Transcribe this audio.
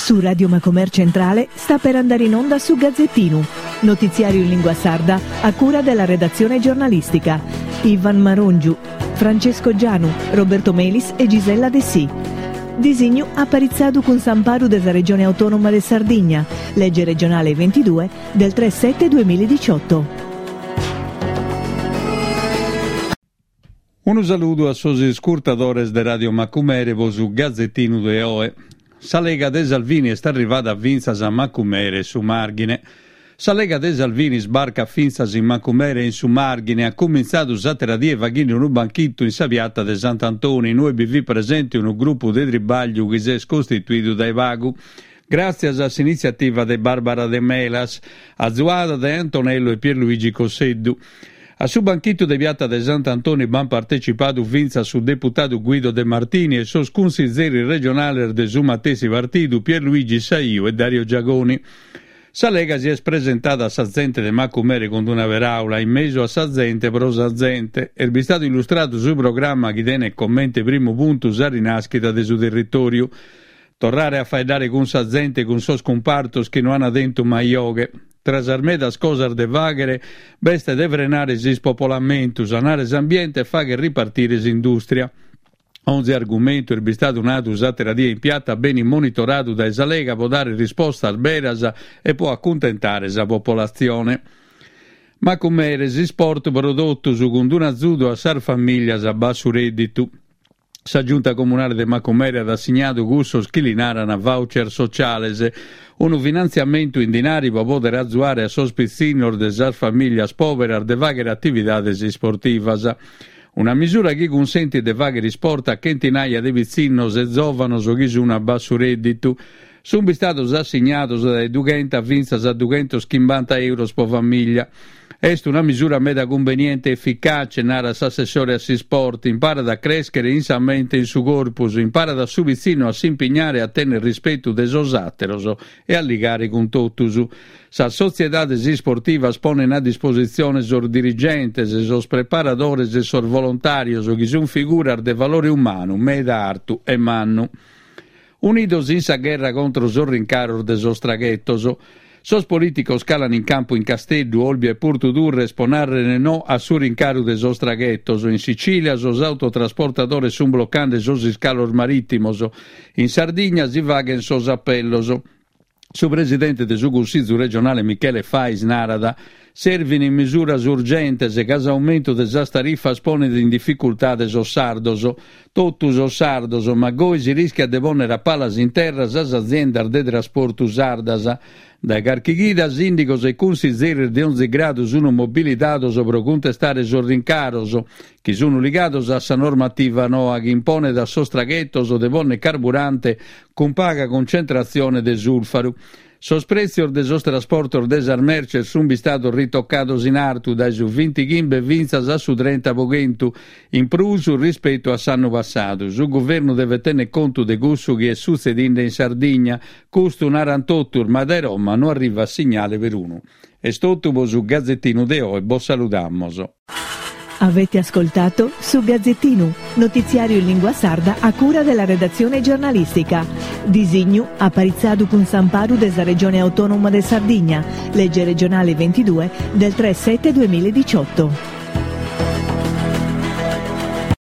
Su Radio Macomer Centrale sta per andare in onda su Gazzettinu, notiziario in lingua sarda a cura della redazione giornalistica. Ivan Marongiu, Francesco Gianu, Roberto Melis e Gisella Dessì. Disignu aparitzadu cun s'amparu de sa Regione Autonoma de Sardigna, lege regionale 22 del 3 7 2018. Unu saludu a sos iscurtadores de Radio Macumere po su Gazettinu de oe. Sa Lega de Salvini est arrivada fintzas a Macumere e su Màrghine. Sa Lega de Salvini sbarcat fintzas in Macumere e in su Màrghine e at cumintzadu s'àtera die faghende unu banchitu in sa piata de Sant'Antoni in ue bi fit presente unu grupu de tribagliu chi s'est costituidu dae pagu gràtzias a s'initziativa de Barbara Demelas, azuada dae Antonello e Pierluigi Cosseddu. A su banchitu de piata de Sant'Antoni b'ant partecipadu fintzas su deputadu Guido De Martini e sos cunsizeris regionales de su matessi partidu Pierluigi Saiu e Dario Giagoni. Sa Lega si est presentada a sa zente de Macumere cun una peràula, in mesu a sa zente pro sa zente. Est bistadu illustradu su programma chi tenet comente primu puntu sa rinàschida de su territòriu. Torrare a faeddare cun sa zente e cun sos cumpartos chi no ant tentu mai 'oghe. Tra sas medas cosas de fàghere b'est de frenare s'ispopolamentu, sanare s'ambiente e fàghere ripartire s'indùstria. Onzi argumentu est bistadu nadu s'àtera die in piata benit monitoradu dae sa Lega pro dare rispostas beras e pro acuntentare sa popolatzione. Macumere, s'isport pro totus cun un'azudu a sas famìlias a bassu rèdditu. Sa Giunta Comunale de Macumere at assignadu cussos chi li naran voucher sociales, unu finantziamentu in dinari pro pòdere azuare a sos pitzinnos de sas famìlias pòberas de fàghere atividades isportivas. Una misura chi cunsentit de fàghere isport a chentinaia de pitzinnos e zòvanos chi sun a bassu rèdditu. Sunt bistados assignados dae dughenta fintzas a dughentoschimbanta euros pro famìllia. Est una misura meda cumbeniente e eficace, narat s'assessore a s'isport, imparat a crèschere in sa mente e in su corpus, imparat a su pitzinnu a s'impignare a tènnere rispetu de sos àteros e a ligare cun totus. Sas sotziedades isportivas ponen a dispositzione sos dirigentes, sos preparadores e sos volontàrios chi sunt figuras de valore umanu meda artu e mannu. Unidos in sa gherra contro sos rincaros de sos traghetos. Sos polìticos calan in campu in Casteddu, Olbia e Portu Turres pro nàrrere no a su rincaru de sos traghetos. In Sicìlia sos autotrasportadores sunt blocande sos iscalos marìtimos. In Sardigna si faghent sos apellos. Su presidente de su Cussizu regionale Michele Fais narat, Servin misuras urgentes ca s'aumentu de sas tarifas ponet in dificultade sos sardos, totu sos sardos, ma goi si rischiat de pònnere a palas in terra sas aziendas de trasportu sardas. Dae carchi chida sìndigos e cunsizeris de onzi gradu sun mobilidados pro cuntestare sos rincaros, chi sun ligados a sa normativa noa chi imponet a sos traghetos de pònnere carburante cun paga cuncentratzione de sùlfaru. Sos prètzios de sos trasportos de sas merces sunt bistados ritocados in artu dae su bintighimbe fintzas a su 30 pro chentu in prus rispetu a s'annu passadu. Su guvernu devet tènnere contu de cussu chi est sutzedinde in Sardigna. Custu narant totus, ma dae Roma no arrivat signale perunu. Est totu pro su Gazetinu de oe, bos saludamos. Avete ascoltato Su Gazzettinu, notiziario in lingua sarda a cura della redazione giornalistica. Disignu aparitzadu cun s'amparu de sa Regione Autonoma de Sardigna, legge regionale 22 del 3 7 2018.